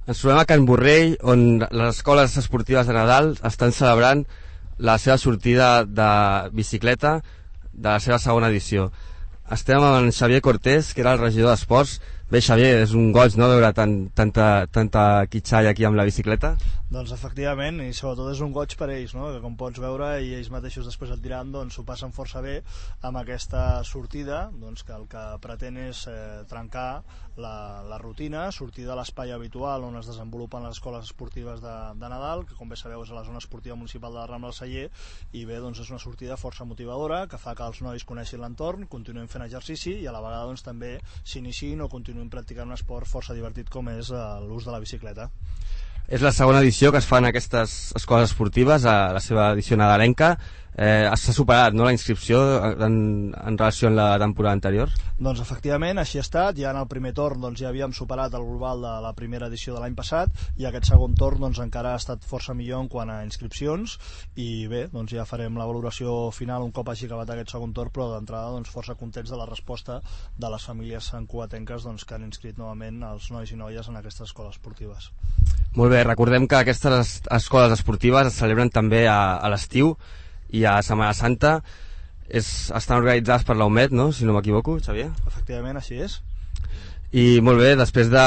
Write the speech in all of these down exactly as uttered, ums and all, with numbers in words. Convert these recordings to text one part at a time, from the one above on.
Ens trobem a Can Borrell, on les escoles esportives de Nadal estan celebrant la seva sortida de bicicleta de la seva segona edició. Estem amb en Xavier Cortés, que era el regidor d'Esports. Bé, Xavier, és un goig, no?, veure tant, tanta, tanta quitxalla aquí amb la bicicleta. Doncs efectivament, i sobretot és un goig per ells, no?, que com pots veure, i ells mateixos després el tirant, doncs ho passen força bé amb aquesta sortida, doncs que el que pretén és eh, trencar la, la rutina, sortir de l'espai habitual on es desenvolupen les escoles esportives de, de Nadal, que com bé sabeu és a la zona esportiva municipal de la Rambla del Celler, i bé, doncs és una sortida força motivadora, que fa que els nois coneixin l'entorn, continuïn fent exercici i a la vegada doncs també s'iniciïn o continuïn practicant un esport força divertit com és eh, l'ús de la bicicleta. És la segona edició que es fa en aquestes escoles esportives, a la seva edició nadalenca. Eh, s'ha superat, no?, la inscripció en, en relació amb la temporada anterior? Doncs efectivament, així ha estat. Ja en el primer torn doncs, ja havíem superat el global de la primera edició de l'any passat, i aquest segon torn doncs, encara ha estat força millor en quant a inscripcions, i bé, doncs, ja farem la valoració final un cop hagi acabat aquest segon torn, però d'entrada doncs, força contents de la resposta de les famílies santcugatenques doncs, que han inscrit novament els nois i noies en aquestes escoles esportives. Molt bé, recordem que aquestes escoles esportives es celebren també a, a l'estiu i a Setmana Santa. És, estan organitzades per la U M E D, no?, si no m'equivoco, Xavier? Efectivament, així és. I molt bé, després de,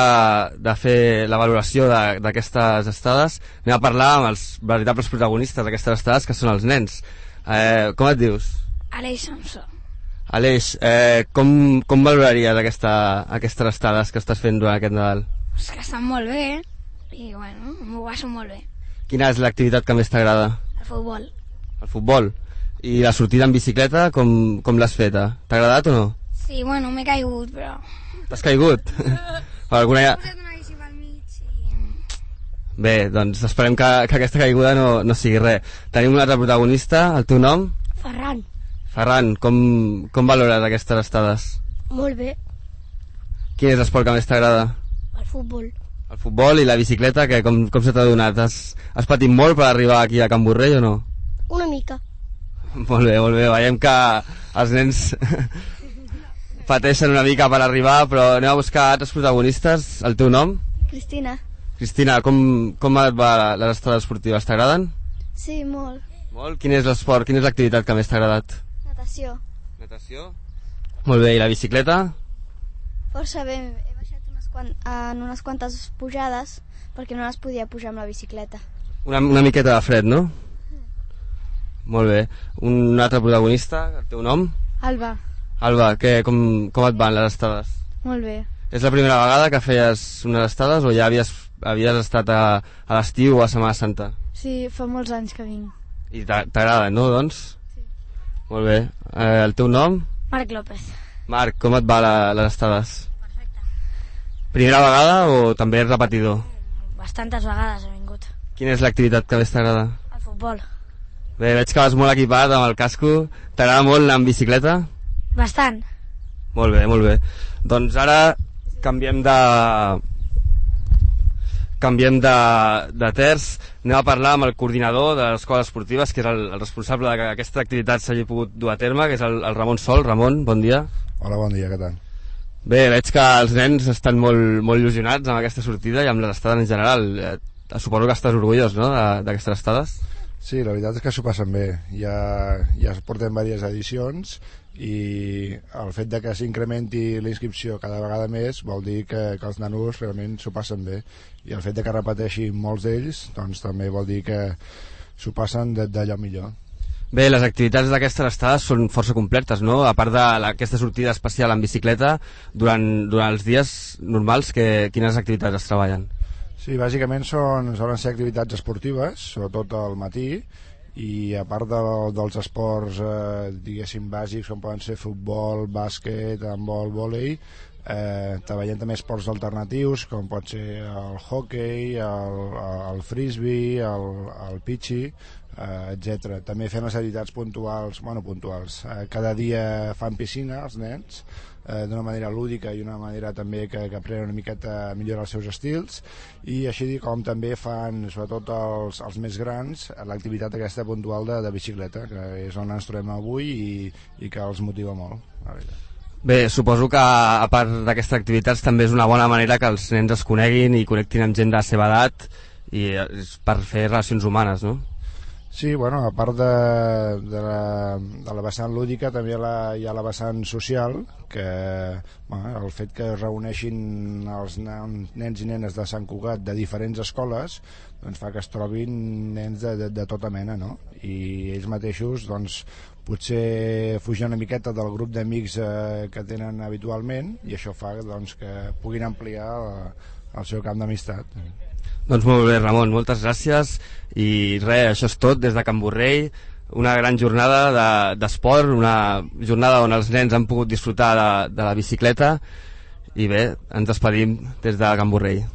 de fer la valoració d'aquestes estades, anem a parlar amb els veritables protagonistes d'aquestes estades, que són els nens. Eh, com et dius? Aleix Samsó. Aleix, eh, com, com valoraries aquesta, aquestes estades que estàs fent durant aquest Nadal? És que estan molt bé, i bueno, m'ho passo molt bé. Quina és l'activitat que més t'agrada? El futbol. El futbol. I la sortida en bicicleta, com, com l'has feta? T'ha agradat o no? Sí, bueno, m'he caigut, però... T'has caigut? Alguna... He posat una bici pel mig i... Bé, doncs esperem que, que aquesta caiguda no, no sigui res. Tenim un altre protagonista, el teu nom? Ferran. Ferran, com, com valores aquestes estades? Molt bé. Quin és l'esport que més t'agrada? El futbol. El futbol i la bicicleta, que com, com se t'ha donat? Has, has patit molt per arribar aquí a Can Borrell o no? Una mica. Molt bé, molt bé. Veiem que els nens pateixen una mica per arribar, però anem a buscar altres protagonistes. El teu nom? Cristina. Cristina, com, com et va les estades esportives? T'agraden? Sí, molt. Molt? Quin és l'esport, quina és l'activitat que més t'ha agradat? Natació. Natació? Molt bé, i la bicicleta? Força bé. He baixat unes quant... en unes quantes pujades perquè no les podia pujar amb la bicicleta. Una, una miqueta de fred, no? Molt bé. Un altre protagonista, el teu nom? Alba. Alba, què, com, com et van les estades? Molt bé. És la primera vegada que feies unes estades o ja havies, havies estat a, a l'estiu o a Setmana Santa? Sí, fa molts anys que vinc. I t'agrada, no, doncs? Sí. Molt bé. Eh, el teu nom? Marc López. Marc, com et va la, les estades? Perfecte. Primera vegada o també és repetidor? Bastantes vegades he vingut. Quina és l'activitat que més t'agrada? El futbol. Bé, veig que vas molt equipat amb el casco. T'agrada molt anar amb bicicleta? Bastant. Molt bé, molt bé. Doncs ara canviem de... canviem de, de terç. Anem a parlar amb el coordinador de les escoles esportives, que és el, el responsable de que aquesta activitat s'hagi pogut dur a terme, que és el, el Ramon Sol. Ramon, bon dia. Hola, bon dia, què tal? Bé, veig que els nens estan molt, molt il·lusionats amb aquesta sortida i amb les estades en general. Eh, suposo que estàs orgullós, no?, d'aquestes estades. Sí, la veritat és que s'ho passen bé. Ja, ja portem diverses edicions i el fet de que s'incrementi la inscripció cada vegada més vol dir que, que els nanos realment s'ho passen bé, i el fet de que repeteixin molts d'ells doncs també vol dir que s'ho passen d'allò millor. Bé, les activitats d'aquestes estades són força completes, no? A part d'aquesta sortida especial en bicicleta, durant, durant els dies normals, que, quines activitats es treballen? Sí, bàsicament són, solen ser activitats esportives, sobretot al matí, i a part de, dels esports eh, diguéssim bàsics, com poden ser futbol, bàsquet, handbol, vòlei, eh, treballem també esports alternatius, com pot ser el hockey, el, el frisbee, el, el pitxi, eh, etcètera. També fem les activitats puntuals, bueno, puntuals. Eh, cada dia fan piscina els nens, eh, d'una manera lúdica i una manera també que, que aprenen una miqueta a millorar els seus estils, i així com també fan, sobretot els, els més grans, l'activitat aquesta puntual de, de bicicleta, que és on ens trobem avui i, i que els motiva molt, la veritat. Bé, suposo que a part d'aquestes activitats també és una bona manera que els nens es coneguin i connectin amb gent de la seva edat i per fer relacions humanes, no? Sí, bueno, a part de, de, la, de la vessant lúdica també la, hi ha la vessant social, que bueno, el fet que es reuneixin els nens i nenes de Sant Cugat de diferents escoles doncs fa que es trobin nens de, de, de tota mena, no? I ells mateixos doncs potser fugir una miqueta del grup d'amics eh, que tenen habitualment, i això fa doncs, que puguin ampliar el, el seu camp d'amistat. Doncs molt bé, Ramon, moltes gràcies, i res, això és tot des de Can Borrell, una gran jornada d'esport, de, una jornada on els nens han pogut disfrutar de, de la bicicleta, i bé, ens despedim des de Can Borrell.